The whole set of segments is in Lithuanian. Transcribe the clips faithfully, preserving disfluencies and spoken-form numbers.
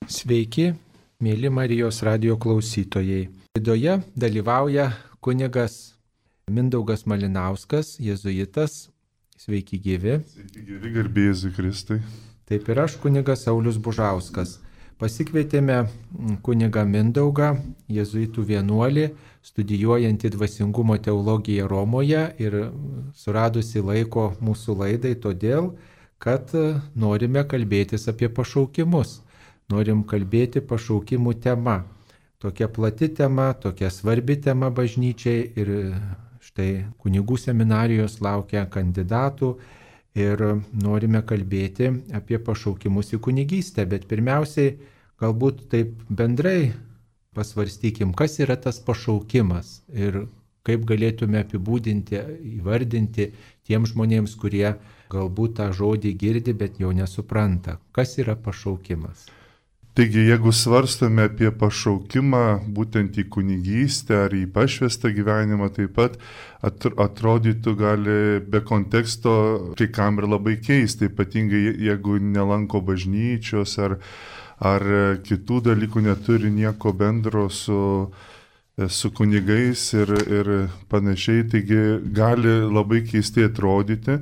Sveiki, mėly Marijos radijo klausytojai. Laidoje dalyvauja kunigas Mindaugas Malinauskas, jėzuitas. Sveiki gyvi. Sveiki gyvi, garbė Jėzui Kristui. Taip ir aš, kunigas Saulius Bužauskas. Pasikvietėme kunigą Mindaugą, jėzuitų vienuolį, studijuojantį dvasingumo teologiją Romoje ir suradusi laiko mūsų laidai todėl, kad norime kalbėtis apie pašaukimus. Norim kalbėti pašaukimų tema. Tokia plati tema, tokia svarbi tema bažnyčiai ir štai kunigų seminarijos laukia kandidatų ir norime kalbėti apie pašaukimus į kunigystę, bet pirmiausiai galbūt taip bendrai pasvarstykim, kas yra tas pašaukimas ir kaip galėtume apibūdinti, įvardinti tiems žmonėms, kurie galbūt tą žodį girdi, bet jo nesupranta. Kas yra pašaukimas? Taigi, jeigu svarstome apie pašaukimą būtent į kunigystę ar į pašvestą gyvenimą, taip pat atrodytų gali be konteksto kai kam ir labai keista, ypatingai jeigu nelanko bažnyčios ar, ar kitų dalykų neturi nieko bendro su, su kunigais ir, ir panašiai, taigi gali labai keistai atrodyti.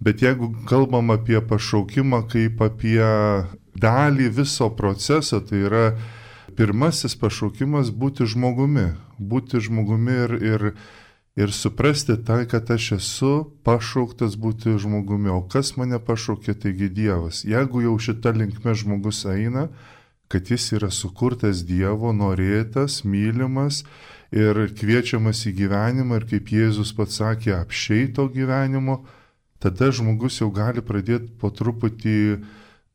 Bet jeigu kalbam apie pašaukimą kaip apie dalį viso proceso, tai yra pirmasis pašaukimas būti žmogumi. Būti žmogumi ir, ir, ir suprasti tai, kad aš esu pašauktas būti žmogumi. O kas mane pašaukė, taigi Dievas. Jeigu jau šita linkme žmogus eina, kad jis yra sukurtas Dievo, norėtas, mylimas ir kviečiamas į gyvenimą ir kaip Jėzus pats sakė, apsčiai to gyvenimo, tada žmogus jau gali pradėti po truputį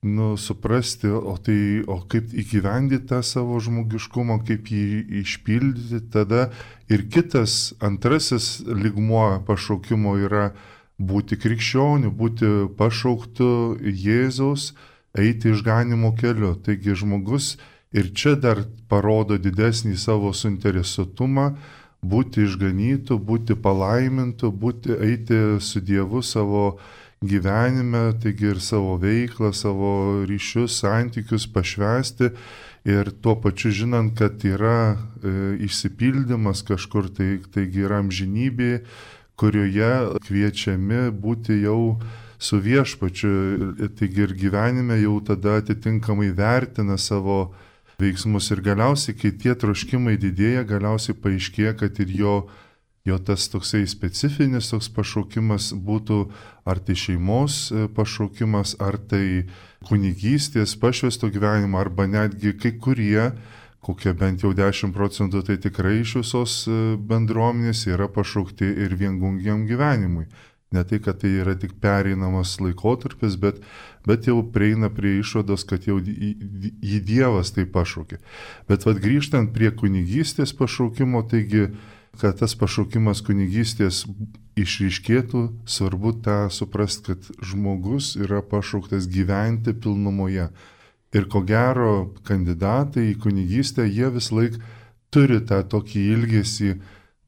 nu, suprasti, o, tai, o kaip įgyvendyti tą savo žmogiškumą, kaip jį išpildyti. Tada ir kitas, antrasis lygmuo pašaukimo yra būti krikščioniu, būti pašauktu Jėzaus, eiti išganimo keliu. Taigi žmogus ir čia dar parodo didesnį savo suinteresuotumą, būti išganytų, būti palaimintų, būti, eiti su Dievu savo gyvenime, taigi ir savo veiklą, savo ryšius, santykius pašvęsti ir tuo pačiu žinant, kad yra e, išsipildymas kažkur, tai, taigi yra amžinybė, kurioje kviečiami būti jau su viešpačiu, taigi ir gyvenime jau tada atitinkamai vertina savo veiksmus ir galiausiai, kai tie troškimai didėja, galiausiai paaiškėja, kad ir jo, jo tas toksai specifinis toks pašaukimas būtų ar tai šeimos pašaukimas, ar tai kunigystės, pašvesto gyvenimo, arba netgi kai kurie, kokie bent jau dešimt procentų, tai tikrai iš visos bendruomenės yra pašaukti ir viengungiam gyvenimui. Ne tai, kad tai yra tik pereinamas laikotarpis, bet, bet jau prieina prie išvados, kad jau jį Dievas tai pašaukė. Bet vad grįžtant prie kunigystės pašaukimo, taigi, kad tas pašaukimas kunigystės išryškėtų, svarbu tą suprasti, kad žmogus yra pašauktas gyventi pilnumoje. Ir ko gero, kandidatai į kunigystę, jie vis laik turi tą tokį ilgesį,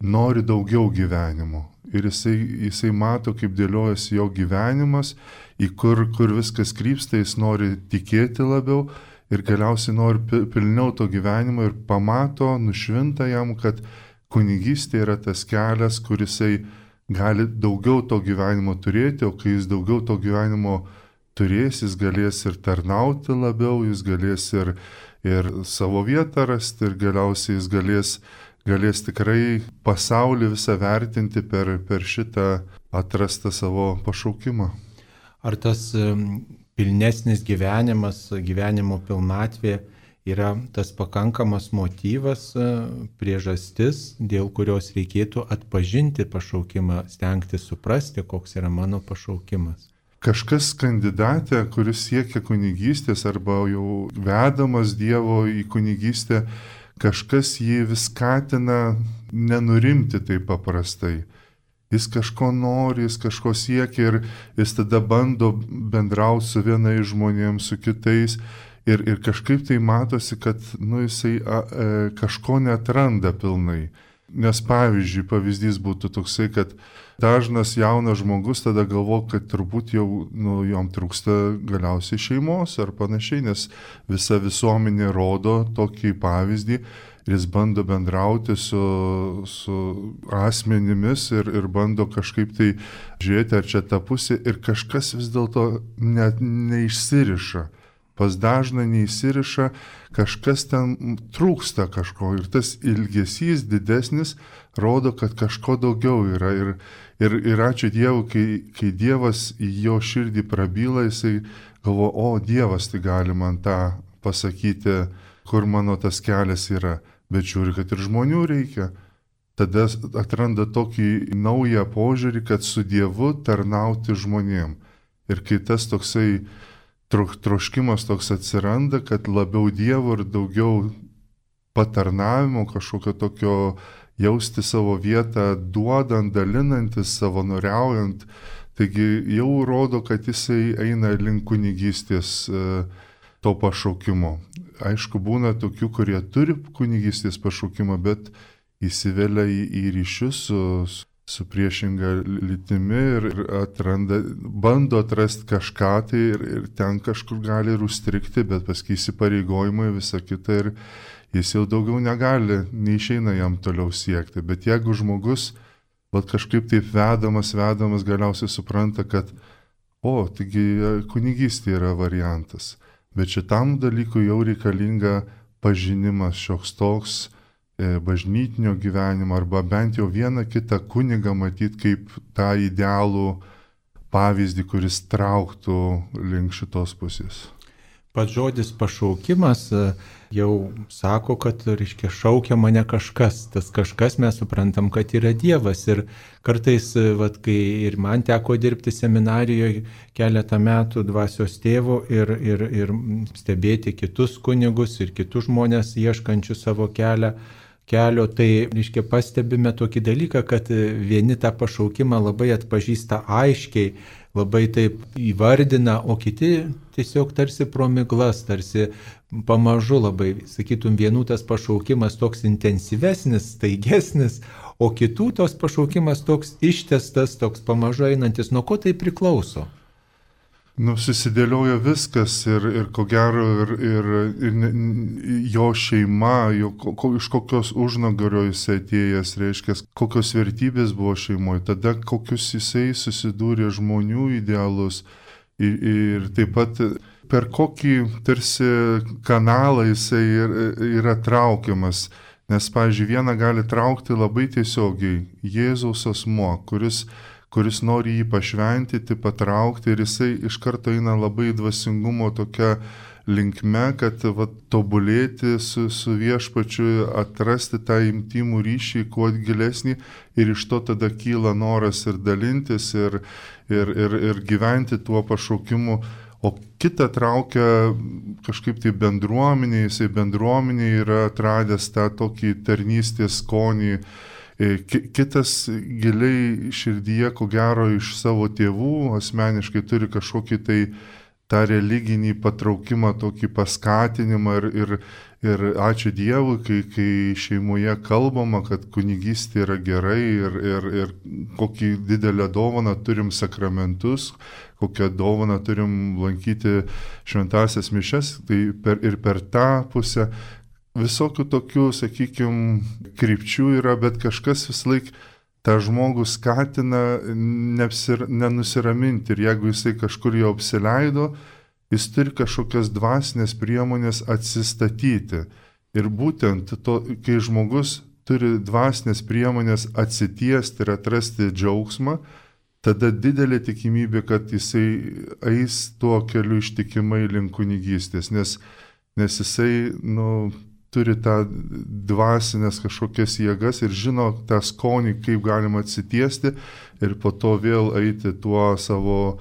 nori daugiau gyvenimo. Ir jisai, jisai mato, kaip dėliojasi jo gyvenimas, į kur, kur viskas krypsta, jis nori tikėti labiau ir galiausiai nori pilniau to gyvenimo ir pamato, nušvinta jam, kad kunigystė yra tas kelias, kur jisai gali daugiau to gyvenimo turėti, o kai jis daugiau to gyvenimo turės, jis galės ir tarnauti labiau, jis galės ir, ir savo vietą rasti ir galiausiai jis galės galės tikrai pasaulį visą vertinti per, per šitą atrastą savo pašaukimą. Ar tas pilnesnis gyvenimas, gyvenimo pilnatvė yra tas pakankamas motyvas, priežastis, dėl kurios reikėtų atpažinti pašaukimą, stengtis suprasti, koks yra mano pašaukimas? Kažkas kandidatė, kuris siekia kunigystės arba jau vedamas Dievo į kunigystę, kažkas jį vis skatina nenurimti taip paprastai. Jis kažko nori, jis kažko siekia ir jis tada bando bendrauti su vienais žmonėms, su kitais ir, ir kažkaip tai matosi, kad nu, jisai a, e, kažko neatranda pilnai. Nes pavyzdžiui, pavyzdys būtų toksai, kad dažnas jaunas žmogus tada galvo, kad turbūt jau nu, jom trūksta galiausiai šeimos ar panašiai, nes visa visuomenė rodo tokį pavyzdį ir jis bando bendrauti su, su asmenimis ir, ir bando kažkaip tai žiūrėti, ar čia ta pusė ir kažkas vis dėlto net neišsiriša. Pas dažną neįsiriša, kažkas ten trūksta kažko ir tas ilgesys didesnis rodo, kad kažko daugiau yra. Ir, ir, ir ačiū Dievui, kai, kai Dievas į jo širdį prabyla, jisai galvo, o Dievas tai gali man tą pasakyti, kur mano tas kelias yra. Bet žiūri, kad ir žmonių reikia. Tada atranda tokį naują požiūrį, kad su Dievu tarnauti žmonėm. Ir kai tas toksai troškimas toks atsiranda, kad labiau Dievo ir daugiau patarnavimo, kažkokio tokio jausti savo vietą, duodant, dalinantis, savanoriaujant. Taigi jau rodo, kad jisai eina link kunigystės to pašaukimo. Aišku, būna tokių, kurie turi kunigystės pašaukimą, bet įsivelia į, į ryšius su su priešinga lytimi ir atranda, bando atrasti kažką tai ir, ir ten kažkur gali ir užstrikti, bet paskui įsipareigojimai visą kitą ir jis jau daugiau negali, neišeina jam toliau siekti. Bet jeigu žmogus vat, kažkaip taip vedamas, vedamas galiausiai supranta, kad o, taigi kunigystė yra variantas, bet šitam dalykui jau reikalinga pažinimas šioks toks, bažnytinio gyvenimo arba bent jau vieną kitą kunigą matyti kaip tą idealų pavyzdį, kuris trauktų link šitos pusės. Pats žodis pašaukimas jau sako, kad, reiškia, šaukia mane kažkas. Tas kažkas mes suprantam, kad yra Dievas. Ir kartais, vat, kai ir man teko dirbti seminarijoje keletą metų dvasios tėvo ir, ir, ir stebėti kitus kunigus ir kitus žmonės ieškančių savo kelią, kelio, tai, reiškia, pastebime tokį dalyką, kad vieni tą pašaukimą labai atpažįsta aiškiai, labai taip įvardina, o kiti tiesiog tarsi pro miglas, tarsi pamažu labai, sakytum, vienų tas pašaukimas toks intensyvesnis, staigesnis, o kitų tos pašaukimas toks ištestas, toks pamažu einantis. Nuo ko tai priklauso? Nu, susidėliojo viskas ir, ir ko gero, ir, ir, ir jo šeima, jo, ko, iš kokios užnagario jisai atėjęs, reiškia, kokios vertybės buvo šeimoje, tada kokius jisai susidūrė žmonių idealus ir, ir taip pat per kokį tarsi kanalą jisai yra traukiamas. Nes, pavyzdžiui, vieną gali traukti labai tiesiogiai Jėzaus asmuo, kuris kuris nori jį pašventyti, patraukti ir jisai iš karto eina labai dvasingumo tokia linkme, kad va, tobulėti su, su viešpačiu, atrasti tą intimų ryšį kuo gilesnį ir iš to tada kyla noras ir dalintis ir, ir, ir, ir gyventi tuo pašaukimu. O kitą traukia kažkaip tai bendruomenė, jisai bendruomenė yra atradęs tą tokį tarnystės skonį. Kitas giliai širdyje, ko gero, iš savo tėvų asmeniškai turi kažkokį tai tą religinį patraukimą, tokį paskatinimą ir, ir, ir ačiū Dievui, kai, kai šeimoje kalbama, kad kunigystė yra gerai ir, ir, ir kokį didelę dovaną turim sakramentus, kokią dovaną turim lankyti šventąsias mišias, tai per, ir per tą pusę visokių tokių, sakykime, krypčių yra, bet kažkas vis laik tą žmogų skatina neapsir, nenusiraminti ir jeigu jisai kažkur jau apsileido, jis turi kažkokias dvasinės priemonės atsistatyti. Ir būtent to, kai žmogus turi dvasinės priemonės atsitiesti ir atrasti džiaugsmą, tada didelė tikimybė, kad jisai eis tuo keliu ištikimai link kunigystės, nes, nes jisai, nu, turi tą dvasinės kažkokias jėgas ir žino tą skonį, kaip galima atsitiesti ir po to vėl eiti tuo savo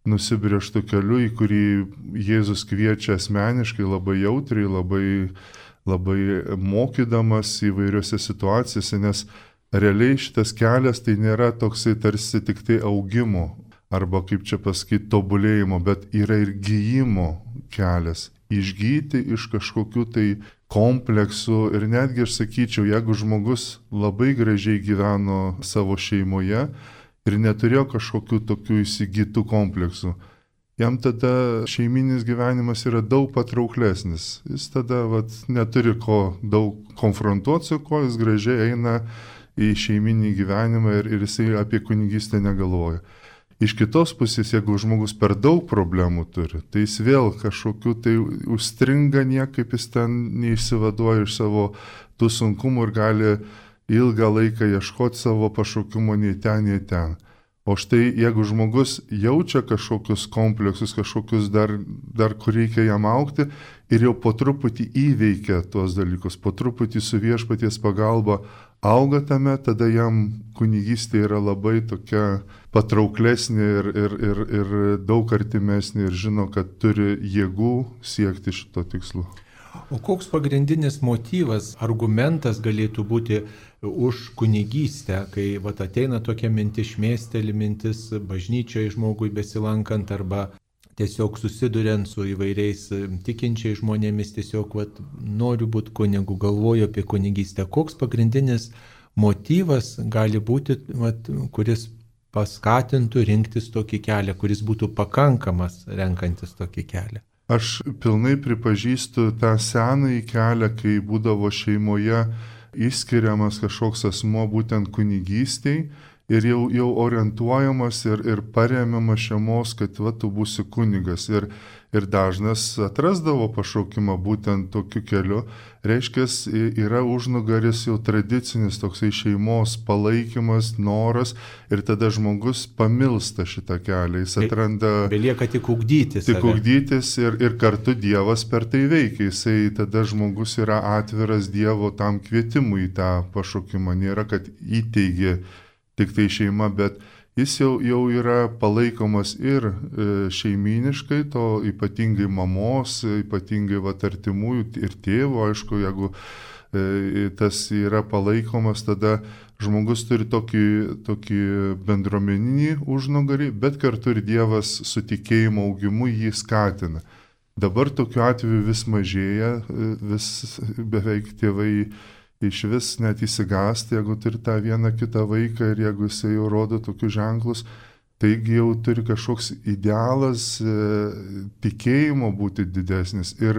nusibrėžtų keliu, į kurį Jėzus kviečia asmeniškai, labai jautriai, labai, labai mokydamas įvairiose situacijose, nes realiai šitas kelias tai nėra toksai tarsi tik tai augimo arba, kaip čia pasakyti, tobulėjimo, bet yra ir gijimo kelias. išgyti iš kažkokių tai kompleksų ir netgi aš sakyčiau, jeigu žmogus labai gražiai gyveno savo šeimoje ir neturėjo kažkokių tokių įsigytų kompleksų, jam tada šeiminis gyvenimas yra daug patrauklesnis. Jis tada vat, neturi ko daug konfrontuoti su kuo, jis gražiai eina į šeiminį gyvenimą ir, ir jisai apie kunigystę negalvoja. Iš kitos pusės, jeigu žmogus per daug problemų turi, tai jis vėl kažkokiu tai užstringa niekaip, jis ten neišsivaduoja iš savo tų sunkumų ir gali ilgą laiką ieškoti savo pašaukimo nei ten, nei ten. O štai jeigu žmogus jaučia kažkokius kompleksus, kažkokius dar, dar kur reikia jam augti ir jau po truputį įveikia tuos dalykus, po truputį su viešpaties pagalba auga tame, tada jam kunigystė yra labai tokia patrauklesnė ir, ir, ir, ir daug artimesnė ir žino, kad turi jėgų siekti šito tikslo. O koks pagrindinis motyvas, argumentas galėtų būti už kunigystę, kai vat, ateina tokia mintis, šmėsteli mintis bažnyčioje žmogui besilankant arba tiesiog susiduriant su įvairiais tikinčiais žmonėmis, tiesiog vat, noriu būti kunigu, galvoju apie kunigystę. Koks pagrindinis motyvas gali būti, vat, kuris paskatintų rinktis tokį kelią, kuris būtų pakankamas renkantis tokį kelią? Aš pilnai pripažįstu tą senąjį kelią, kai būdavo šeimoje išskiriamas kažkoks asmuo būtent kunigystėj ir jau, jau orientuojamas ir, ir paremiamas šeimos, kad va, tu būsi kunigas. Ir, ir dažnas atrasdavo pašaukimą būtent tokiu keliu. Reiškia, yra užnugaris jau tradicinis toksai šeimos palaikymas, noras ir tada žmogus pamilsta šitą kelią. Jis atranda... Belieka tik ugdytis. Tik ugdytis ir, ir kartu Dievas per tai veikia. Jisai tada žmogus yra atviras Dievo tam kvietimui į tą pašaukimą. Nėra, kad įteigė tik tai šeima, bet jis jau, jau yra palaikomas ir e, šeiminiškai, to ypatingai mamos, ypatingai vat, artimųjų ir tėvo, aišku, jeigu e, tas yra palaikomas, tada žmogus turi tokį, tokį bendruomeninį užnugarį, bet kartu ir Dievas su tikėjimo augimu jį skatina. Dabar tokiu atveju vis mažėja, vis beveik tėvai iš vis net įsigąsti, jeigu turi tą vieną kitą vaiką ir jeigu jisai jau rodo tokius ženklus, taigi jau turi kažkoks idealas e, tikėjimo būti didesnis ir,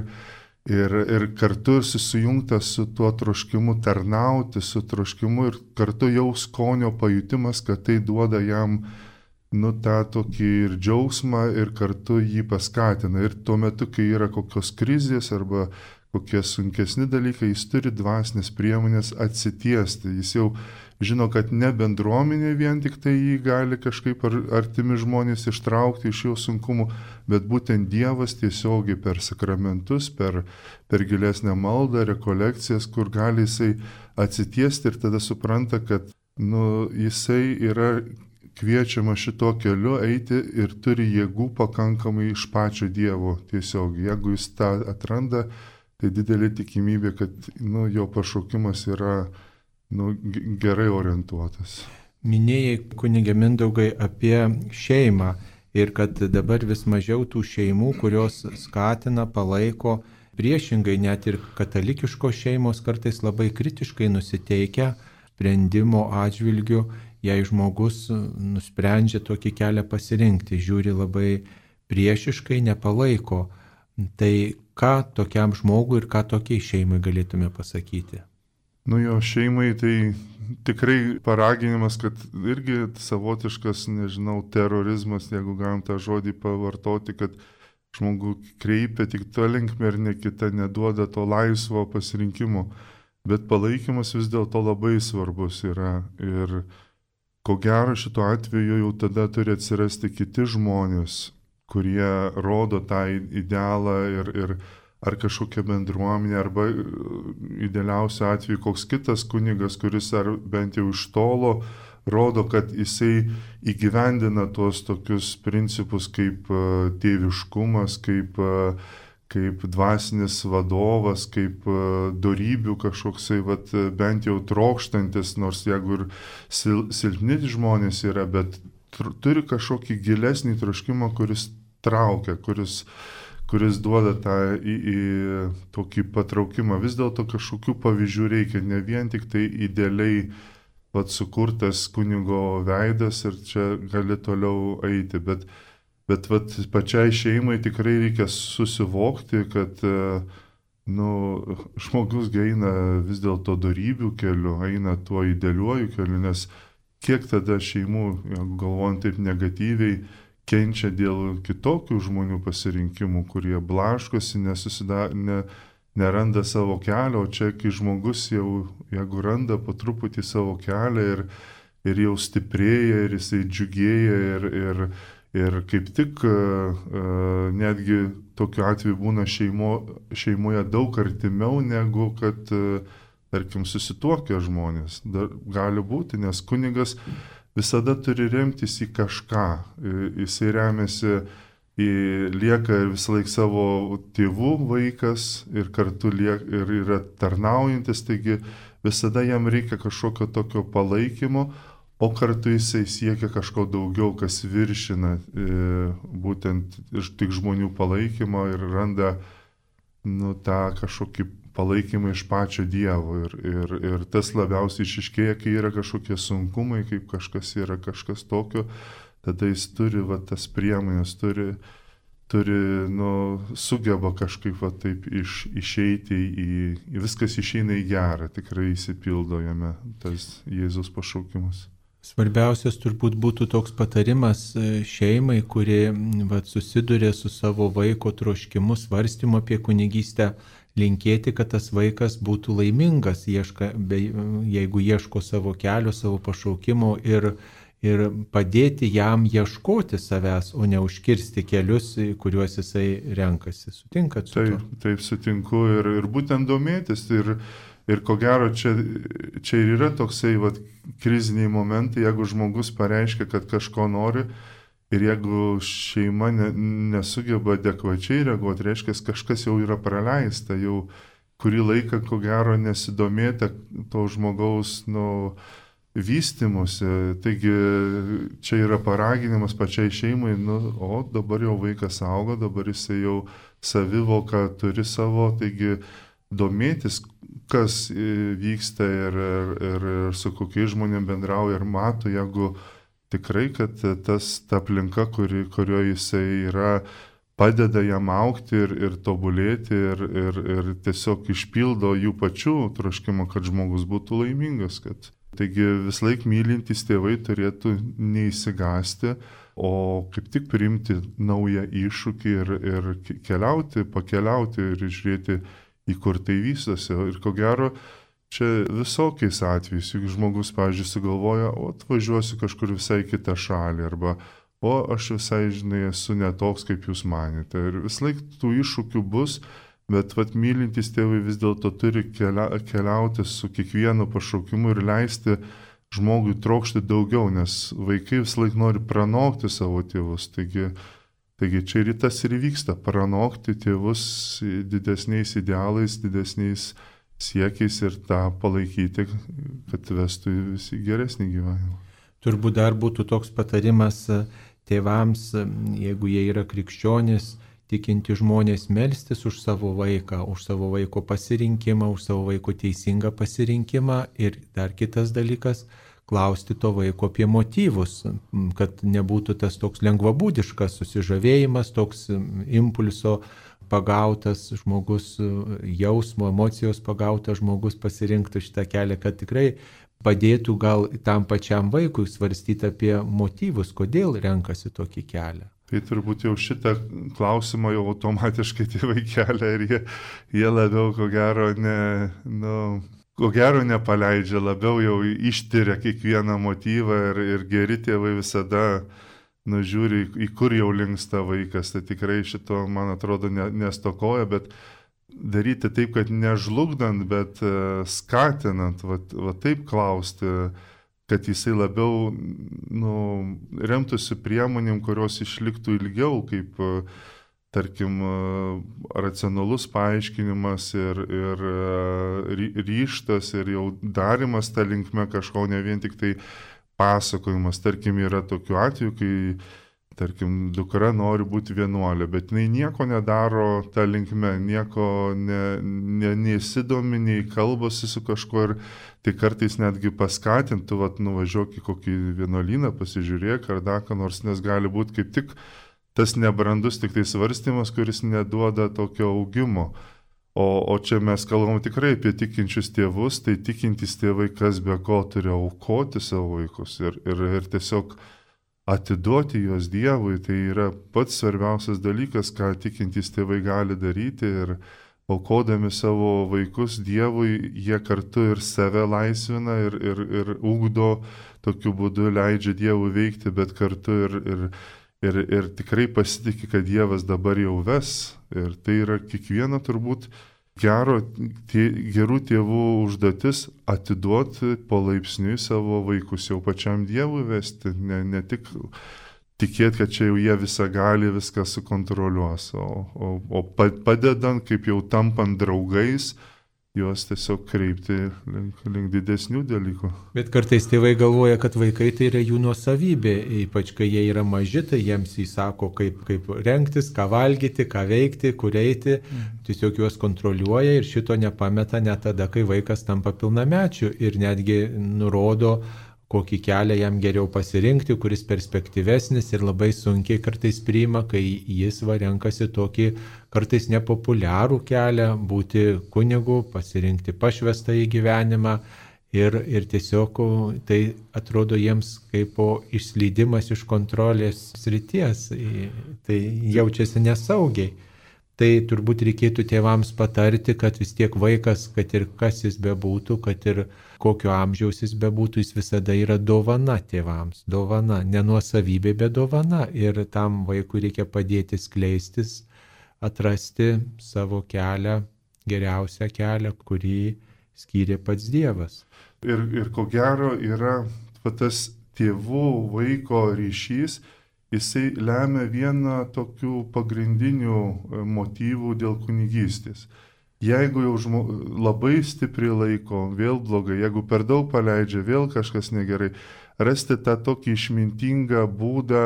ir, ir kartu susijungtas su tuo troškimu tarnauti, su troškimu ir kartu jau skonio pajutimas, kad tai duoda jam nu tą tokį ir džiaugsmą ir kartu jį paskatina. Ir tuo metu, kai yra kokios krizės arba kokie sunkesni dalykai, jis turi dvasinės priemonės atsitiesti. Jis jau žino, kad ne bendruomenė vien tik tai jį gali kažkaip ar, artimi žmonės ištraukti iš jo sunkumų, bet būtent Dievas tiesiogiai per sakramentus, per, per gilesnę maldą, rekolekcijas, kur gali jisai atsitiesti ir tada supranta, kad nu, jisai yra kviečiama šito keliu eiti ir turi jėgų pakankamai iš pačio Dievo tiesiog. Jeigu jis tą atranda, tai didelė tikimybė, kad nu, jo pašaukimas yra nu, gerai orientuotas. Minėjai, kunige Mindaugai, apie šeimą ir kad dabar vis mažiau tų šeimų, kurios skatina, palaiko, priešingai net ir katalikiškos šeimos kartais labai kritiškai nusiteikia sprendimo atžvilgiu, jei žmogus nusprendžia tokį kelią pasirinkti, žiūri labai priešiškai, nepalaiko. Tai ką tokiam žmogui ir ką tokiai šeimai galėtume pasakyti? Nu jo, šeimai tai tikrai paraginimas, kad irgi savotiškas, nežinau, terorizmas, jeigu galim tą žodį pavartoti, kad žmogų kreipia tik to linkme ir ne kita, neduoda to laisvo pasirinkimo. Bet palaikymas vis dėlto labai svarbus yra ir ko gero šituo atveju jau tada turi atsirasti kiti žmonės, kurie rodo tą idealą ir, ir ar kažkokia bendruomenė, arba idealiausiu atveju koks kitas kunigas, kuris ar bent jau iš tolo rodo, kad jisai įgyvendina tuos tokius principus kaip tėviškumas, kaip, kaip dvasinis vadovas, kaip dorybių kažkoksai, vat, bent jau trokštantis, nors jeigu ir sil, silpni žmonės yra, bet tr- turi kažkokį gilesnį troškimą, kuris traukia, kuris, kuris duoda tą į, į tokį patraukimą. Vis dėlto kažkokių pavyzdžių reikia, ne vien tik tai idealiai vat, sukurtas kunigo veidas ir čia gali toliau eiti, bet, bet vat, pačiai šeimai tikrai reikia susivokti, kad nu, žmogus eina vis dėlto dorybių keliu, eina tuo idealiuoju keliu, nes kiek tada šeimų, galvojant taip negatyviai, kenčia dėl kitokių žmonių pasirinkimų, kurie blaškosi, nesusida, ne, neranda savo kelio, o čia, kai žmogus jau, jeigu randa po truputį savo kelią ir, ir jau stiprėja, ir jisai džiugėja, ir, ir, ir kaip tik uh, netgi tokiu atveju būna šeimo, šeimoje daug artimiau, negu kad, uh, tarkim, susituokę žmonės. Dar gali būti, nes kunigas visada turi remtis į kažką. Jisai remiasi, į, lieka visą laiką savo tėvų vaikas ir kartu liek, ir yra tarnaujantis, taigi visada jam reikia kažkokio tokio palaikymo, o kartu jisai siekia kažko daugiau, kas viršina e, būtent tik žmonių palaikymo ir randa nu, tą kažkokį palaikymą iš pačio Dievo ir, ir, ir tas labiausiai išiškėja, kai yra kažkokie sunkumai, kaip kažkas yra kažkas tokio, tada jis turi va, tas priemonės, turi, turi nu, sugeba kažkaip va, taip iš, išeiti į, į, viskas išeina į gerą, tikrai įsipildo jame tas Jėzus pašaukimas. Svarbiausias turbūt būtų toks patarimas šeimai, kuri va, susiduria su savo vaiko troškimu, svarstymu apie kunigystę, linkėti, kad tas vaikas būtų laimingas, ieška, be, jeigu ieško savo kelio, savo pašaukimo ir, ir padėti jam ieškoti savęs, o ne užkirsti kelius, kuriuos jisai renkasi. Sutinkat su taip, to? Taip, sutinku ir, ir būtent domėtis. Ir, ir ko gero čia, čia ir yra toksai vat, kriziniai momentai, jeigu žmogus pareiškia, kad kažko nori. Ir jeigu šeima ne, nesugeba adekvačiai reaguoti, reiškia, kažkas jau yra praleista, jau kurį laiką, ko gero, nesidomėta to žmogaus nu, vystimusi. Taigi čia yra paraginimas pačiai šeimai, nu, o dabar jau vaikas auga, dabar jisai jau savivoką turi savo, taigi domėtis, kas vyksta ir, ir, ir, ir su kokiais žmonėm bendrauja ir mato, jeigu tikrai, kad tas, ta aplinka, kuri, kurioje jisai yra, padeda jam augti ir, ir tobulėti ir, ir, ir tiesiog išpildo jų pačių troškimą, kad žmogus būtų laimingas. Kad... Taigi vis laik mylintys tėvai turėtų neįsigasti, o kaip tik priimti naują iššūkį ir, ir keliauti, pakeliauti ir žiūrėti, į kur tai vystosi. Ir ko gero, čia visokiais atvejais, juk žmogus, pavyzdžiui, sugalvoja, o atvažiuosiu kažkur visai kitą šalį, arba, o aš visai, žinai, esu netoks, kaip jūs manėte. Ir vis laik tų iššūkių bus, bet vat mylintys tėvai vis dėlto turi kelia, keliauti su kiekvienu pašaukimu ir leisti žmogui trokšti daugiau, nes vaikai vis laik nori pranokti savo tėvus. Taigi, taigi čia ir tas ir vyksta, pranokti tėvus didesniais idealais, didesniais siekiais ir tą palaikyti, kad vestų visi geresnį gyvenimą. Turbūt dar būtų toks patarimas tėvams, jeigu jie yra krikščionys, tikinti žmonės, melstis už savo vaiką, už savo vaiko pasirinkimą, už savo vaiko teisingą pasirinkimą ir dar kitas dalykas, klausti to vaiko apie motyvus, kad nebūtų tas toks lengvabūdiškas susižavėjimas, toks impulso pagautas žmogus, jausmo, emocijos pagautas žmogus pasirinktų šitą kelią, kad tikrai padėtų gal tam pačiam vaikui svarstyti apie motyvus, kodėl renkasi tokį kelią. Tai turbūt jau šitą klausimą jau automatiškai tėvai kelia ir jie, jie labiau, ko gero, ne, nu, ko gero nepaleidžia, labiau jau ištyria kiekvieną motyvą ir, ir geri tėvai visada nužiūri, į kur jau linksta vaikas, tai tikrai šito, man atrodo, ne, nestokoja, bet daryti taip, kad nežlugdant, bet skatinant, va, va taip klausti, kad jisai labiau nu, remtųsi priemonėm, kurios išliktų ilgiau, kaip, tarkim, racionalus paaiškinimas ir, ir ryžtas ir jau darimas tą linkme kažko, ne vien tik tai pasakojimas. Tarkim, yra tokių atvejų, kai, tarkim, dukra nori būti vienuolė, bet jinai nieko nedaro tą linkme, nieko ne, ne, neįsidomi, nei kalbasi su kažkuo ir tai kartais netgi paskatintų, vat, nuvažiuok į kokį vienuolyną, pasižiūrėk ar dar ką nors, nes gali būti kaip tik tas nebrandus tik tai svarstymas, kuris neduoda tokio augimo. O, o čia mes kalbam tikrai apie tikinčius tėvus, tai tikintys tėvai kas be ko turi aukoti savo vaikus ir, ir, ir tiesiog atiduoti juos Dievui, tai yra pats svarbiausias dalykas, ką tikintys tėvai gali daryti ir aukodami savo vaikus Dievui, jie kartu ir save laisvina ir, ir, ir ugdo, tokiu būdu leidžia Dievui veikti, bet kartu ir, ir, ir, ir tikrai pasitikė, kad Dievas dabar jau ves. Ir tai yra kiekvieno turbūt gero, tie, gerų tėvų užduotis atiduoti palaipsniui savo vaikus jau pačiam Dievui vesti, ne, ne tik tikėti, kad čia jau jie visą gali, viską sukontroliuos, o, o, o padedant, kaip jau tampant draugais, juos tiesiog kreipti link, link didesnių dalykų. Bet kartais tėvai galvoja, kad vaikai tai yra jų nuosavybė, ypač kai jie yra maži, tai jiems įsako, kaip, kaip rengtis, ką valgyti, ką veikti, kur eiti, tiesiog juos kontroliuoja ir šito nepameta net tada, kai vaikas tampa pilnamečiu ir netgi nurodo, kokį kelią jam geriau pasirinkti, kuris perspektyvesnis ir labai sunkiai kartais priima, kai jis va renkasi tokį kartais nepopuliarų kelią, būti kunigu, pasirinkti pašvestą į gyvenimą ir, ir tiesiog tai atrodo jiems kaip išslydimas iš kontrolės srities, tai jaučiasi nesaugiai. Tai turbūt reikėtų tėvams patarti, kad vis tiek vaikas, kad ir kas jis bebūtų, kad ir kokio amžiaus jis bebūtų, jis visada yra dovana tėvams. Dovana, ne nuosavybė, bet dovana. Ir tam vaikui reikia padėti skleistis, atrasti savo kelią, geriausią kelią, kurį skyrė pats Dievas. Ir, ir ko gero yra tas tėvų vaiko ryšys, jisai lemia vieną tokių pagrindinių motyvų dėl kunigystės. Jeigu jau žmo, labai stipriai laiko, vėl blogai, jeigu per daug paleidžia, vėl kažkas negerai, rasti tą tokį išmintingą būdą,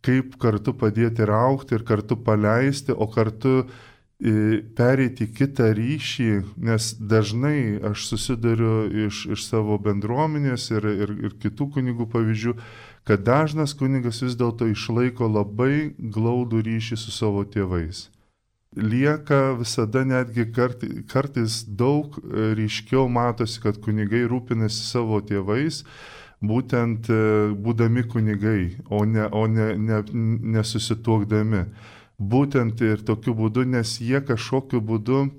kaip kartu padėti augti ir kartu paleisti, o kartu e, pereiti kitą ryšį, nes dažnai aš susiduriu iš, iš savo bendruomenės ir, ir, ir kitų kunigų pavyzdžių, kad dažnas kunigas vis dėlto išlaiko labai glaudų ryšį su savo tėvais. Lieka visada netgi kartais, kartais daug ryškiau matosi, kad kunigai rūpinasi savo tėvais, būtent būdami kunigai, o ne, o ne, ne, nesusituokdami. Būtent ir tokiu būdu, nes jie kažkokiu būdu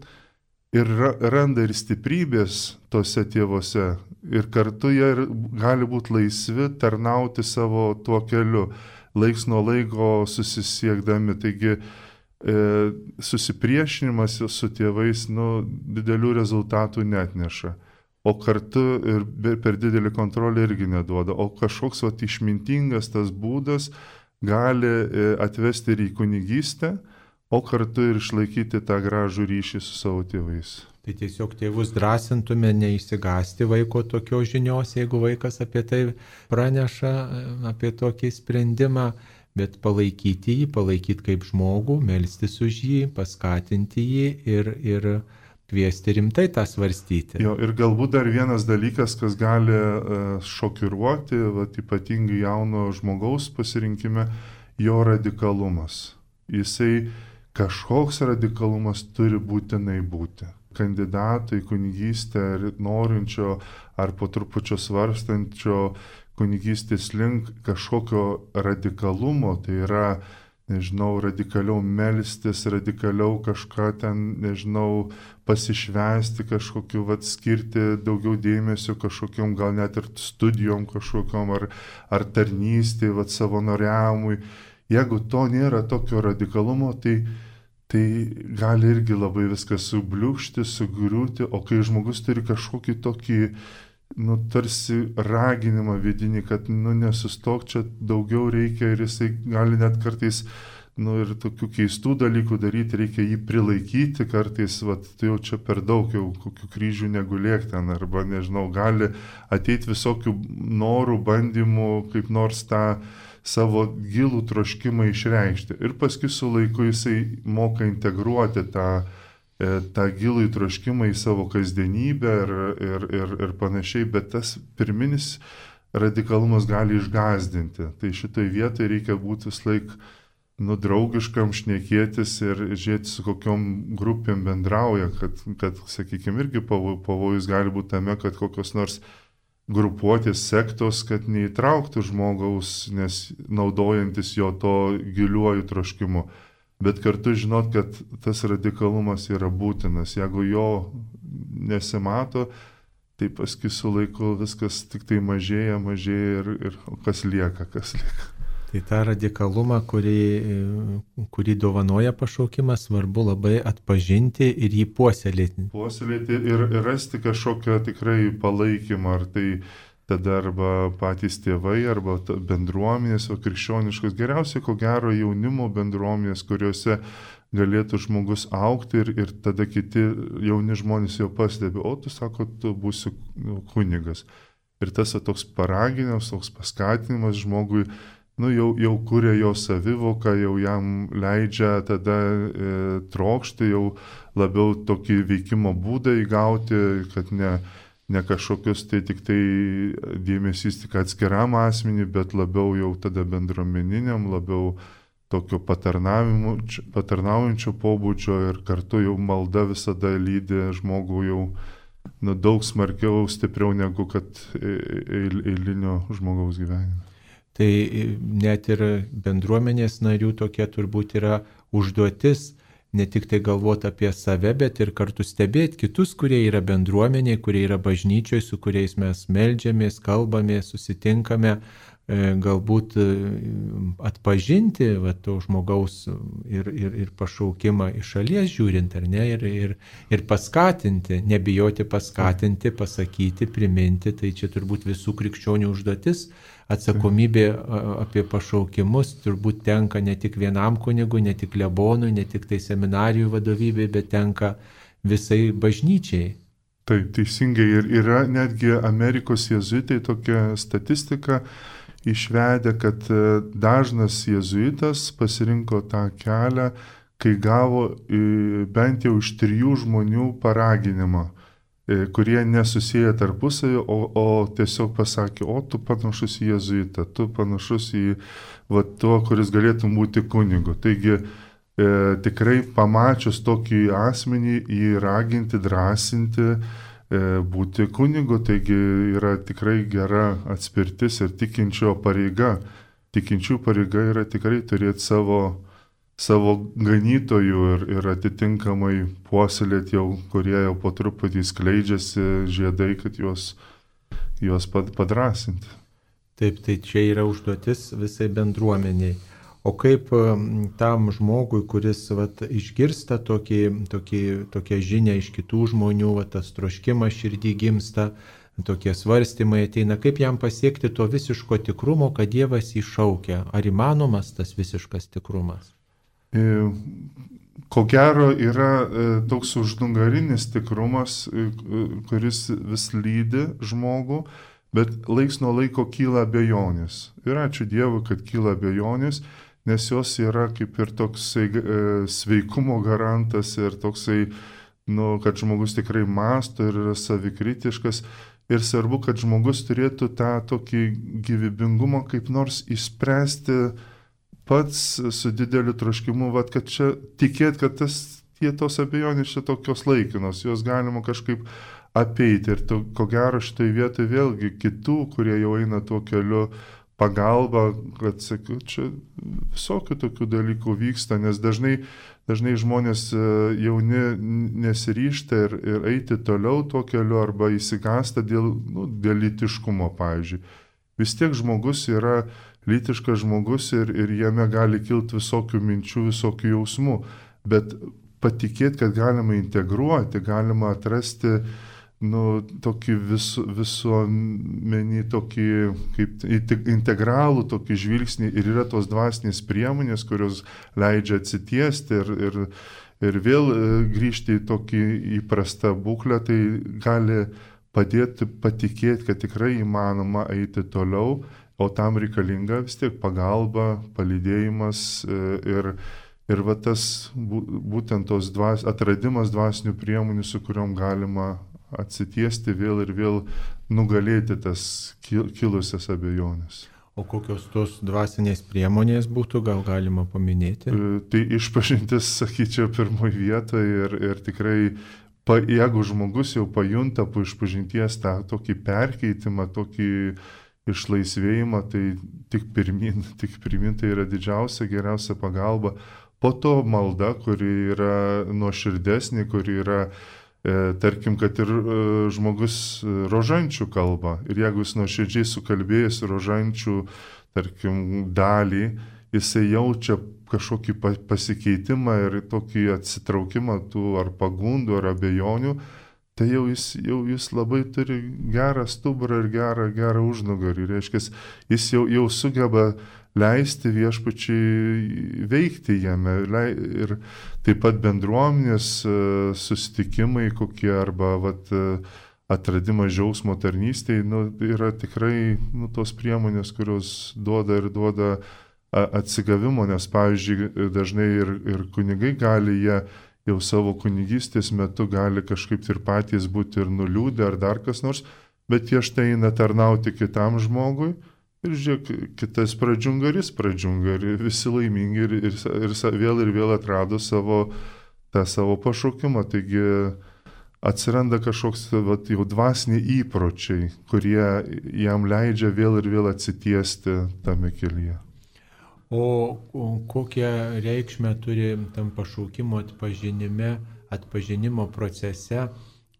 ir randa ir stiprybės tose tėvose. Ir kartu jie gali būti laisvi tarnauti savo tuo keliu, laiks nuo laiko susisiekdami. Taigi e, susipriešinimas su tėvais nu, didelių rezultatų netneša. O kartu ir per didelį kontrolę irgi neduoda. O kažkoks vat, išmintingas tas būdas gali e, atvesti ir į kunigystę, o kartu ir išlaikyti tą gražų ryšį su savo tėvais. Tai tiesiog tėvus drąsintume neįsigasti vaiko tokios žinios, jeigu vaikas apie tai praneša, apie tokį sprendimą, bet palaikyti jį, palaikyti kaip žmogų, melstis už jį, paskatinti jį ir, ir kviesti rimtai tą svarstyti. Jo, ir galbūt dar vienas dalykas, kas gali šokiruoti, vat, ypatingai jauno žmogaus pasirinkime, jo radikalumas. Jisai kažkoks radikalumas turi būtinai būti. Kandidato į kunigystę ar norinčio ar po trupučio svarstančio kunigystės link kažkokio radikalumo, tai yra, nežinau, radikaliau melstis, radikaliau kažką ten, nežinau, pasišvesti kažkokiu, vat, skirti daugiau dėmesio kažkokiom, gal net ir studijom kažkokiom, ar, ar tarnystė, vat, savanoriavimui. Jeigu to nėra tokio radikalumo, tai tai gali irgi labai viskas subliūkšti, sugriūti, o kai žmogus turi kažkokį tokį, nu, tarsi raginimą vidinį, kad, nu, nesustok, čia daugiau reikia ir jisai gali net kartais, nu, ir tokių keistų dalykų daryti, reikia jį prilaikyti kartais, vat, tai jau čia per daug, jau kokių kryžių negulėk ten, arba, nežinau, gali ateiti visokių norų, bandymų, kaip nors tą savo gilų troškimą išreikšti. Ir paskui su laiku jisai moka integruoti tą, tą gilų troškimą į savo kasdienybę ir, ir, ir, ir panašiai, bet tas pirminis radikalumas gali išgazdinti. Tai šitoj vietoje reikia būti vis laik nu, draugiškam, šnekėtis ir žiūrėti, su kokiom grupėm bendrauja, kad, kad sakykime, irgi pavojus gali būti tame, kad kokios nors grupuotės, sektos, kad neįtrauktų žmogaus, nes naudojantis jo to giliuoju troškimu. Bet kartu žinot, kad tas radikalumas yra būtinas. Jeigu jo nesimato, tai paskui su laiku viskas tik tai mažėja, mažėja ir, ir kas lieka, kas lieka. Tai tą radikalumą, kurį, kurį dovanoja pašaukimas, svarbu labai atpažinti ir jį puoselėti. Puoselėti ir, ir rasti kažkokią tikrai palaikymą, ar tai tada arba patys tėvai, arba bendruomenės, o krikščioniškos. Geriausiai, ko gero, jaunimo bendruomenės, kuriuose galėtų žmogus augti ir, ir tada kiti jauni žmonės jau pastebi, o tu sako, tu būsi kunigas. Ir tas toks paraginimas, toks paskatinimas žmogui, nu, jau, jau kuria jo savivoką, jau jam leidžia tada e, trokšti, jau labiau tokį veikimo būdą įgauti, kad ne, ne kažkokius tai tik tai dėmesys tik atskiram asmenį, bet labiau jau tada bendruomeniniam, labiau tokio patarnaujančio pobūdžio ir kartu jau malda visada lydi žmogų jau nu, daug smarkiau, stipriau negu kad eilinio žmogaus gyvenime. Tai net ir bendruomenės narių tokia turbūt yra užduotis, ne tik tai galvoti apie save, bet ir kartu stebėti kitus, kurie yra bendruomeniai, kurie yra bažnyčioje, su kuriais mes meldžiamės, kalbamės, susitinkame, galbūt atpažinti va, to žmogaus ir, ir, ir pašaukimą iš šalies žiūrint, ar ne, ir, ir, ir paskatinti, nebijoti paskatinti, pasakyti, priminti, tai čia turbūt visų krikščionių užduotis. Atsakomybė apie pašaukimus turbūt tenka ne tik vienam kunigui, ne tik klebonui, ne tik tai seminarijų vadovybei, bet tenka visai bažnyčiai. Taip, teisingai. Ir yra netgi Amerikos jėzuitai tokia statistika išvedę, kad dažnas jėzuitas pasirinko tą kelią, kai gavo bent jau iš trijų žmonių paraginimą, kurie nesusiję tarpusavį, o, o tiesiog pasakė, o tu panašus į jėzuitą, tu panašus į va, to, kuris galėtum būti kunigu. Taigi e, tikrai pamačius tokį asmenį, jį raginti, drąsinti, e, būti kunigu, taigi yra tikrai gera atspirtis ir tikinčio pareiga. Tikinčių pareiga yra tikrai turėti savo savo ganytojų ir, ir atitinkamai puoselėti jau, kurie jau po truputį skleidžiasi žiedai, kad juos, juos padrasinti. Taip, tai čia yra užduotis visai bendruomeniai. O kaip tam žmogui, kuris vat, išgirsta tokį, tokį, tokią žinią iš kitų žmonių, vat, tas troškimas širdį gimsta, tokie svarstymai ateina, kaip jam pasiekti to visiško tikrumo, kad Dievas jį šaukia? Ar įmanomas tas visiškas tikrumas? Ko gero yra toks užnugarinis tikrumas, kuris vis lydi žmogų, bet laiks nuo laiko kyla abejonės. Ir ačiū Dievui, kad kyla abejonės, nes jos yra kaip ir toksai sveikumo garantas ir toksai, nu, kad žmogus tikrai mąsto ir yra savikritiškas. Ir svarbu, kad žmogus turėtų tą tokį gyvybingumą kaip nors išspręsti pats su dideliu troškimu, vat, kad čia tikėt, kad tas, tie tos abejonės čia tokios laikinos, jos galima kažkaip apeiti. Ir to, ko gero šitoje vietoje vėlgi kitų, kurie jau eina tuo keliu, pagalba, kad sakiau, čia visokių tokių dalykų vyksta, nes dažnai, dažnai žmonės jauni nesiryžta ir, ir eiti toliau tuo keliu arba įsigąsta dėl, nu, dėl lytiškumo, pavyzdžiui. Vis tiek žmogus yra lytiškas žmogus ir, ir jame gali kilti visokių minčių, visokių jausmų, bet patikėti, kad galima integruoti, galima atrasti nu, tokį vis, visuomenį, tokį kaip integralų tokį žvilgsnį ir yra tos dvasinės priemonės, kurios leidžia atsitiesti ir, ir, ir vėl grįžti į tokį įprastą būklę, tai gali padėti patikėti, kad tikrai įmanoma eiti toliau, o tam reikalinga vis tiek pagalba, palydėjimas ir, ir va tas būtent tos dvas, atradimas dvasinių priemonių, su kuriuom galima atsitiesti vėl ir vėl nugalėti tas kilusias abejonės. O kokios tos dvasinės priemonės būtų, gal galima paminėti? Tai išpažintis, sakyčiau, pirmoje vietoje ir, ir tikrai, pa, jeigu žmogus jau pajunta po išpažinties tą tokį perkeitimą, tokį išlaisvėjimą, tai tik pirmin, tik pirmin tai yra didžiausia, geriausia pagalba. Po to malda, kuri yra nuoširdesnė, kuri yra tarkim, kad ir žmogus rožančių kalba. Ir jeigu jis nuoširdžiai sukalbėjęs rožančių, tarkim, dalį, jisai jaučia kažkokį pasikeitimą ir tokį atsitraukimą tų ar pagundų, ar abejonių, tai jau jis, jau jis labai turi gerą stuburą ir gerą, gerą užnugarį. Reiškia, jis jau, jau sugeba leisti viešpačiai veikti jame. Ir taip pat bendruomenės susitikimai kokie arba vat, atradimas džiaugsmo tarnystėje nu, yra tikrai nu, tos priemonės, kurios duoda ir duoda atsigavimo, nes pavyzdžiui dažnai ir, ir kunigai gali, jie jau savo kunigystės metu gali kažkaip ir patys būti ir nuliūdę ar dar kas nors, bet jie štai eina tarnauti kitam žmogui. Ir žiūrėk, kitas pradžiungaris pradžiunga ir visi laimingi ir, ir, ir vėl ir vėl atrado savo, tą savo pašaukimą. Taigi atsiranda kažkoks vat, jau dvasiniai įpročiai, kurie jam leidžia vėl ir vėl atsitiesti tame kelyje. O kokią reikšmę turi tam pašaukimo atpažinime, atpažinimo procese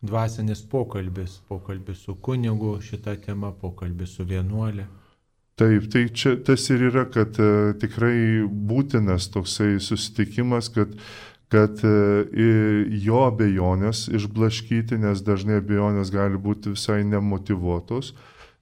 dvasinis pokalbis, pokalbis su kunigu šitą temą, pokalbis su vienuolė? Taip, tai čia tas ir yra, kad e, tikrai būtinas toksai susitikimas, kad, kad e, jo abejonės išblaškyti, nes dažnai abejonės gali būti visai nemotyvuotos.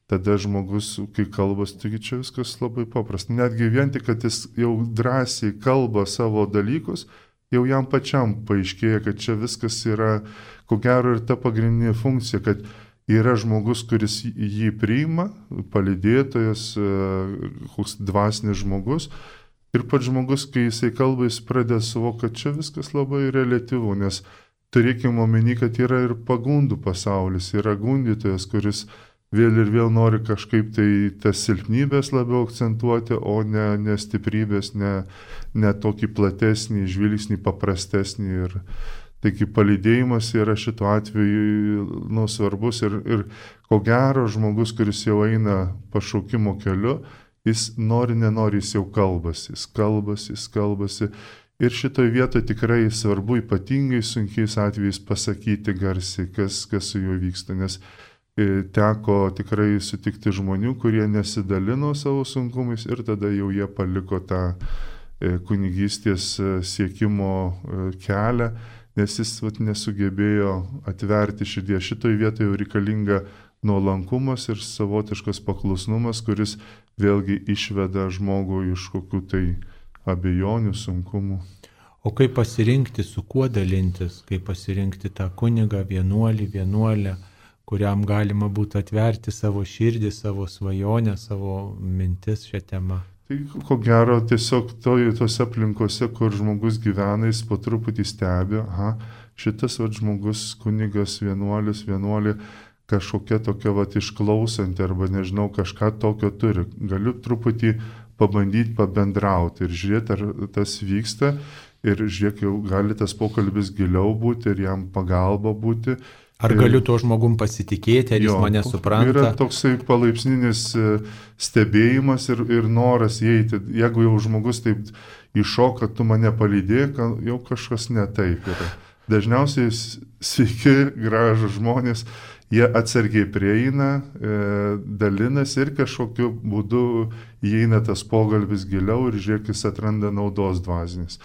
Tada žmogus, kai kalbas, taigi čia viskas labai paprasta. Netgi vien tik, kad jis jau drąsiai kalba savo dalykus, jau jam pačiam paaiškėja, kad čia viskas yra, ko gero, ir ta pagrindinė funkcija, kad yra žmogus, kuris jį priima, palydėtojas, koks dvasinis žmogus. Ir pats žmogus, kai jisai kalba, jis pradeda suvokti, kad čia viskas labai reliatyvu, nes turėkime omeny, kad yra ir pagundų pasaulis, yra gundytojas, kuris vėl ir vėl nori kažkaip tai tas silpnybės labiau akcentuoti, o ne, ne stiprybės, ne, ne tokį platesnį, žvilgsnį, paprastesnį. Ir taigi palydėjimas yra šituo atveju nu, svarbus ir, ir ko gero žmogus, kuris jau eina pašaukimo keliu, jis nori, nenori, jis jau kalbasi, jis kalbasi, jis kalbasi. Ir šitoje vietoje tikrai svarbu ypatingai sunkiais atvejais pasakyti garsiai, kas, kas su juo vyksta, nes teko tikrai sutikti žmonių, kurie nesidalino savo sunkumais ir tada jau jie paliko tą kunigystės siekimo kelią, nes jis vat, nesugebėjo atverti širdies. Šitoje vietoje jau reikalinga nuolankumas ir savotiškas paklusnumas, kuris vėlgi išveda žmogų iš kokių tai abejonių, sunkumų. O kaip pasirinkti, su kuo dalintis, kaip pasirinkti tą kunigą, vienuolį, vienuolę, kuriam galima būtų atverti savo širdį, savo svajonę, savo mintis šią temą? Tai ko gero tiesiog toj, tose aplinkose, kur žmogus gyvena, jis po truputį stebi, aha, šitas vat, žmogus, kunigas, vienuolis, vienuolė, kažkokia tokia vat, išklausanti arba nežinau, kažką tokio turi. Galiu truputį pabandyti pabendrauti ir žiūrėti, ar tas vyksta ir žiūrėk, jau gali tas pokalbis giliau būti ir jam pagalba būti. Ar galiu tuo žmogum pasitikėti, ar jis jo, mane supranta? Yra toksai palaipsninis stebėjimas ir, ir noras įeiti. Jeigu jau žmogus taip iššoka, tu mane palydėk, jau kažkas ne taip yra. Dažniausiai sveiki, gražų žmonės, jie atsargiai prieina, dalinasi ir kažkokiu būdu įeina tas pokalbis giliau ir žiūrėk, jis atranda naudos dvasinės.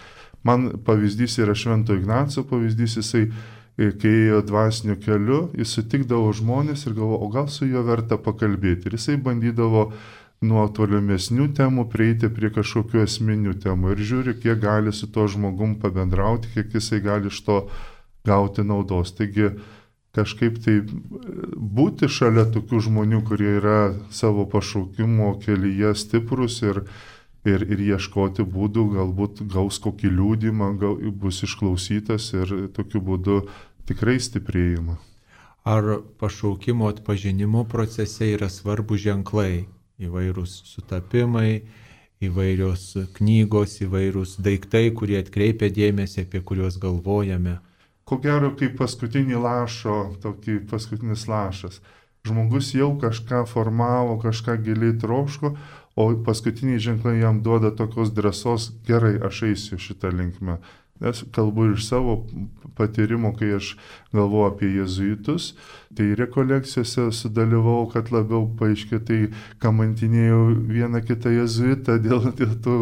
Man pavyzdys yra Švento Ignaco pavyzdys, jisai kai ėjo dvasiniu keliu, jis sutikdavo žmonės ir galvo, o gal su juo verta pakalbėti. Ir jisai bandydavo nuo tolimesnių temų prieiti prie kažkokių esminių temų ir žiūri, kiek gali su to žmogum pabendrauti, kiek jisai gali iš to gauti naudos. Taigi kažkaip tai būti šalia tokių žmonių, kurie yra savo pašaukimo kelyje stiprus ir, ir, ir ieškoti būdų, galbūt gaus kokį liūdimą, gal, bus išklausytas ir tokiu būdu tikrai stiprėjimą. Ar pašaukimo atpažinimo procese yra svarbus ženklai, įvairūs sutapimai, įvairios knygos, įvairūs daiktai, kurie atkreipia dėmesį, apie kuriuos galvojame? Ko gero, kaip paskutinį lašo, tokį paskutinis lašas. Žmogus jau kažką formavo, kažką giliai troško, o paskutiniai ženklai jam duoda tokios drąsos, gerai, aš eisiu šitą linkmę. Nes kalbu iš savo patyrimo, kai aš galvoju apie jėzuitus, tai rekolekcijose sudalyvau, kad labiau paaiškė, tai kamantinėjau vieną kitą jėzuitą dėl, dėl tų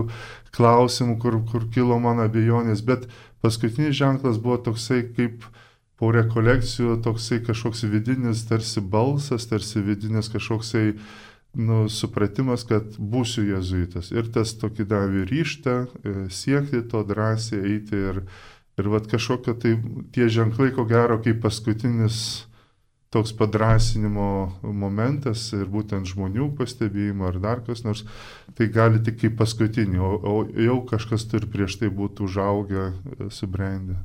klausimų, kur, kur kilo man abejonės, bet paskutinis ženklas buvo toksai kaip po rekolekcijų, toksai kažkoks vidinis tarsi balsas, tarsi vidinis kažkoksai nu, supratimas, kad būsiu jėzuitas. Ir tas tokį davė ryštą, siekti to drąsiai eiti ir, ir vat kažkokio tai tie ženklai, ko gero, kaip paskutinis toks padrasinimo momentas ir būtent žmonių pastebėjimo ar dar kas nors, tai gali tik kaip paskutinį, o, o jau kažkas turi prieš tai būtų užaugę, subrendę.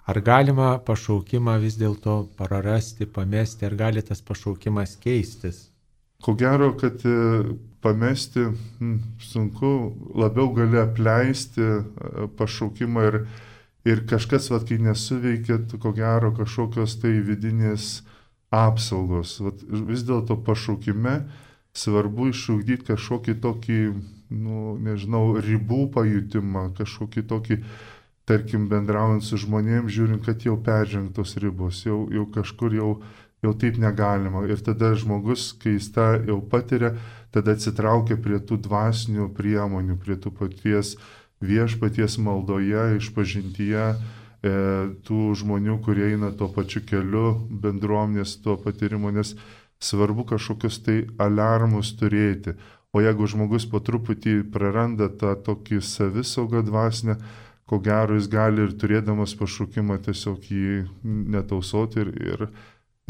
Ar galima pašaukimą vis dėlto prarasti, pamesti, ar gali tas pašaukimas keistis? Ko gero, kad pamesti hm, sunku, labiau gali apleisti pašaukimą ir, ir kažkas, vat, kai nesuveikia, ko gero kažkokios tai vidinės apsaugos. Vat, vis dėlto pašaukime svarbu išugdyti kažkokį tokį, nu, nežinau, ribų pajutimą, kažkokį tokį, tarkim, bendraujant su žmonėms, žiūrint, kad jau peržengtos ribos, jau, jau kažkur jau jau taip negalima. Ir tada žmogus, kai jis tą jau patiria, tada atsitraukia prie tų dvasinių priemonių, prie tų paties viešpaties maldoje, išpažintyje, e, tų žmonių, kurie eina tuo pačiu keliu, bendruomenės tuo patyrimu, nes svarbu kažkokius tai aliarmus turėti. O jeigu žmogus po truputį praranda tą tokį savisaugą dvasinę, ko gero jis gali ir turėdamas pašaukimą tiesiog jį netausoti ir, ir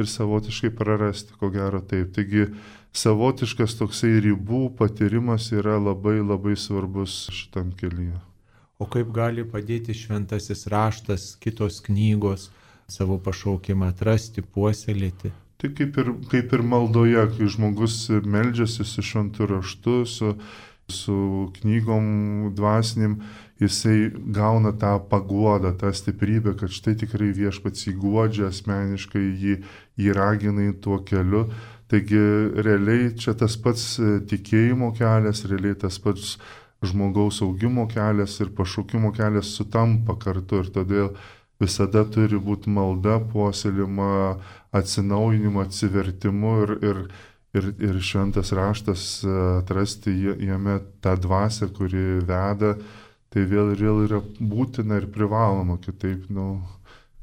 ir savotiškai prarasti, ko gero taip. Taigi savotiškas toksai ribų patyrimas yra labai labai svarbus šitam kelyje. O kaip gali padėti šventasis raštas, kitos knygos savo pašaukimą atrasti, puoselėti? Tai kaip ir, kaip ir maldoje, kai žmogus meldžiasi su šventu raštu, su, su knygom dvasinim, jisai gauna tą paguodą, tą stiprybę, kad štai tikrai viešpats jį guodžia asmeniškai, jį, jį ragina į tuo keliu. Taigi realiai čia tas pats tikėjimo kelias, realiai tas pats žmogaus augimo kelias ir pašaukimo kelias sutampa kartu ir todėl visada turi būti malda, puoselėjama, atsinaujinimu, atsivertimu ir, ir, ir, ir šventas raštas atrasti jame tą dvasią, kuri veda. Tai vėl ir vėl yra būtina ir privaloma, kitaip, nu,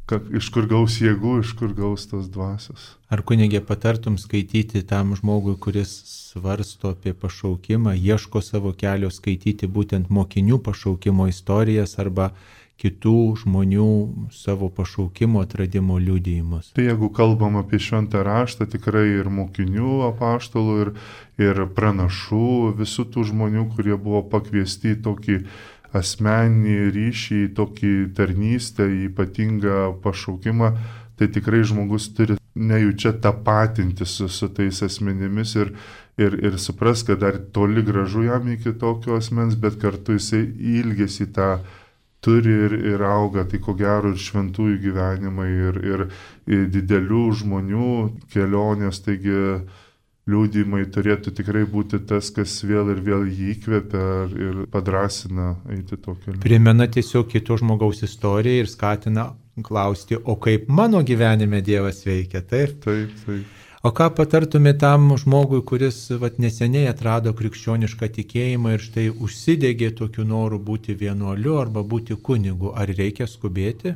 kad, iš kur gaus jėgų, iš kur gaus tos dvasios. Ar kunigė patartum skaityti tam žmogui, kuris svarsto apie pašaukimą, ieško savo kelio, skaityti būtent mokinių pašaukimo istorijas arba kitų žmonių savo pašaukimo atradimo liudijimus? Tai jeigu kalbam apie šventą raštą, tikrai ir mokinių apaštalų, ir, ir pranašų, visų tų žmonių, kurie buvo pakviesti į tokį asmeninį ryšį, tokį tarnystę, ypatingą pašaukimą, tai tikrai žmogus turi nejučia tapatinti su, su tais asmenimis ir, ir, ir supras, kad dar toli gražu jam iki tokio asmens, bet kartu jisai ilgesi tą turi ir, ir auga, tai ko gero ir šventųjų gyvenimai, ir, ir, ir didelių žmonių kelionės, taigi liudijimai turėtų tikrai būti tas, kas vėl ir vėl jį įkvepia ir padrasina eiti to keliu. Primena tiesiog kito žmogaus istoriją ir skatina klausti, o kaip mano gyvenime Dievas veikia, taip? Taip, taip. O ką patartumė tam žmogui, kuris vat, neseniai atrado krikščionišką tikėjimą ir štai užsidegė tokiu noru būti vienuoliu arba būti kunigu? Ar reikia skubėti?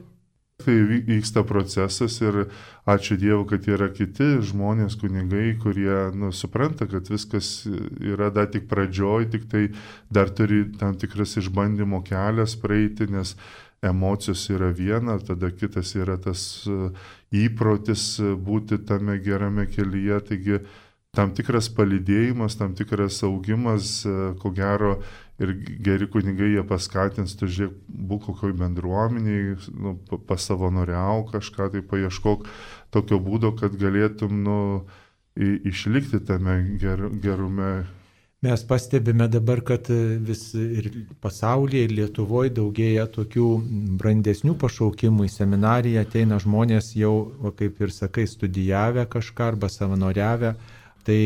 Tai vyksta procesas ir ačiū Dievui, kad yra kiti žmonės, kunigai, kurie nu, supranta, kad viskas yra dar tik pradžioj, tik tai dar turi tam tikras išbandymo kelias praeiti, nes emocijos yra viena, tada kitas yra tas įprotis būti tame gerame kelyje. Taigi tam tikras palydėjimas, tam tikras augimas, ko gero, ir geri kunigai jie paskatins, tu žiūrėk, būk kokioj bendruomeniai, nu, pasavanoriau kažką, tai paieškok tokio būdo, kad galėtum nu, išlikti tame ger, gerume. Mes pastebime dabar, kad vis ir pasaulyje, ir Lietuvoje daugėja tokių brandesnių pašaukimų. Į seminariją ateina žmonės jau, kaip ir sakai, studijavę kažką arba savanoriavę. Tai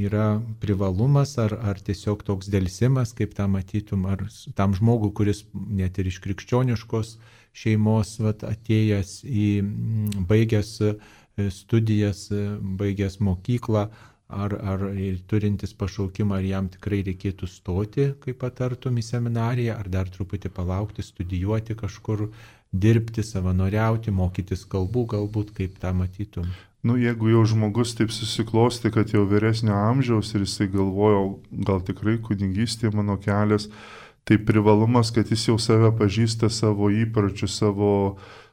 yra privalumas ar, ar tiesiog toks dėlsimas, kaip tą matytum, ar tam žmogui, kuris net ir iš krikščioniškos šeimos vat, atėjęs į baigęs studijas, baigęs mokyklą, ar, ar turintis pašaukimą, ar jam tikrai reikėtų stoti, kaip patartum, į seminariją, ar dar truputį palaukti, studijuoti kažkur, dirbti, savanoriauti, mokytis kalbų, galbūt kaip tą matytum. Nu, jeigu jau žmogus taip susiklosti, kad jau vyresnio amžiaus ir jisai galvoja, gal tikrai kunigystė mano kelias, tai privalumas, kad jis jau save pažįsta, savo įpročių, savo,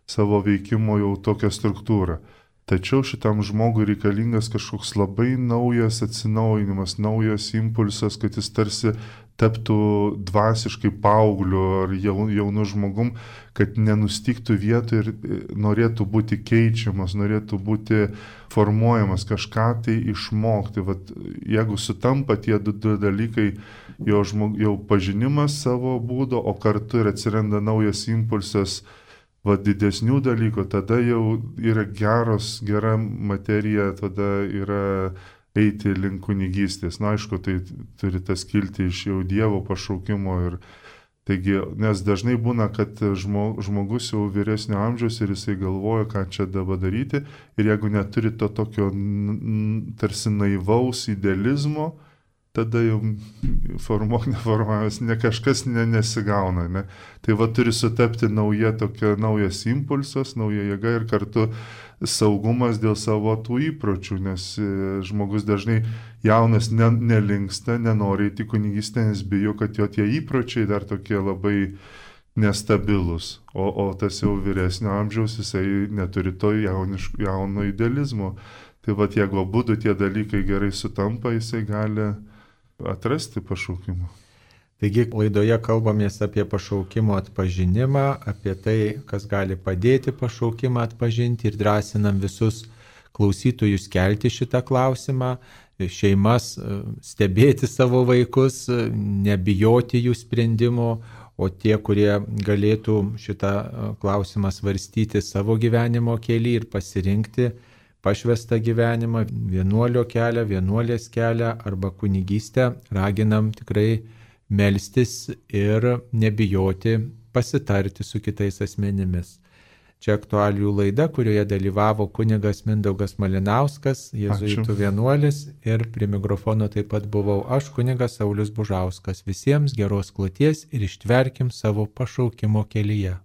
savo veikimo jau tokią struktūrą. Tačiau šitam žmogui reikalingas kažkoks labai naujas atsinaujinimas, naujas impulsas, kad jis tarsi taptų dvasiškai paaugliu ar jaunu žmogum, kad nenustiktų vietoj ir norėtų būti keičiamas, norėtų būti formuojamas, kažką tai išmokti. Vat, jeigu sutampa tie du, du dalykai, jo, žmog, jau pažinimas savo būdo, o kartu ir atsiranda naujas impulsas, va, didesnių dalykų, tada jau yra geros, gera materija, tada yra eiti link kunigystės. Na, aišku, tai turi tas kilti iš jau Dievo pašaukimo. Ir, taigi, nes dažnai būna, kad žmogus jau vyresnio amžiaus ir jisai galvoja, ką čia dabar daryti. Ir jeigu neturi to tokio tarsi naivaus idealizmo, tada jau formuok neformuojamas, ne kažkas ne, nesigauna. Ne? Tai va turi sutapti nauja tokia, naujas impulsas, nauja jėga ir kartu saugumas dėl savo tų įpročių, nes žmogus dažnai jaunas ne, nelinksta, nenori į kunigystę, nes bijo, kad jo tie įpročiai dar tokie labai nestabilus. O, o tas jau vyresnio amžiaus, jisai neturi to jauniško, jauno idealizmo. Tai va jeigu abudu tie dalykai gerai sutampa, jisai gali atrasti pašaukimą. Taigi laidoje kalbamės apie pašaukimo atpažinimą, apie tai, kas gali padėti pašaukimą atpažinti ir drąsinam visus klausytojus kelti šitą klausimą, šeimas stebėti savo vaikus, nebijoti jų sprendimo, o tie, kurie galėtų šitą klausimą svarstyti savo gyvenimo kelyje ir pasirinkti pašvestą gyvenimą, vienuolio kelią, vienuolės kelią arba kunigystę, raginam tikrai melstis ir nebijoti pasitarti su kitais asmenimis. Čia aktualijų laida, kurioje dalyvavo kunigas Mindaugas Malinauskas, jėzuitų vienuolis, ir prie mikrofono taip pat buvau aš, kunigas Saulius Bužauskas. Visiems geros kloties ir ištverkim savo pašaukimo kelyje.